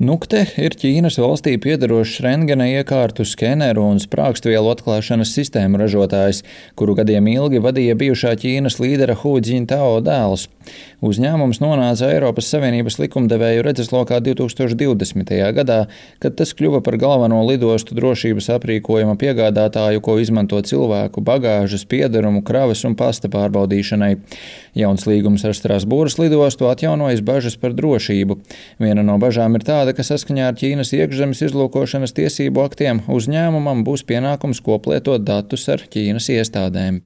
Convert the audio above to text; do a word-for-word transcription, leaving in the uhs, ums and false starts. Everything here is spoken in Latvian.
Nukte ir Ķīnas valstī piederošs rentgena iekārtu, skeneru un sprākstvielu atklāšanas sistēmu ražotājs, kuru gadiem ilgi vadīja bijušā Ķīnas līdera Hu Dzintao dēls. Uzņēmums nonāca Eiropas Savienības likumdevēju redzeslokā divi tūkstoši divdesmitajā gadā, kad tas kļuva par galveno lidostu drošības aprīkojuma piegādātāju, ko izmanto cilvēku bagāžas, piederumu, kravas un pasta pārbaudīšanai. Jauns līgums ar Strasbūras lidostu atjaunojas bažas par drošību. Viena no bažām ir tāda, ka saskaņā ar Ķīnas iekšzemes izlūkošanas tiesību aktiem uzņēmumam būs pienākums koplietot datus ar Ķīnas iestādēm.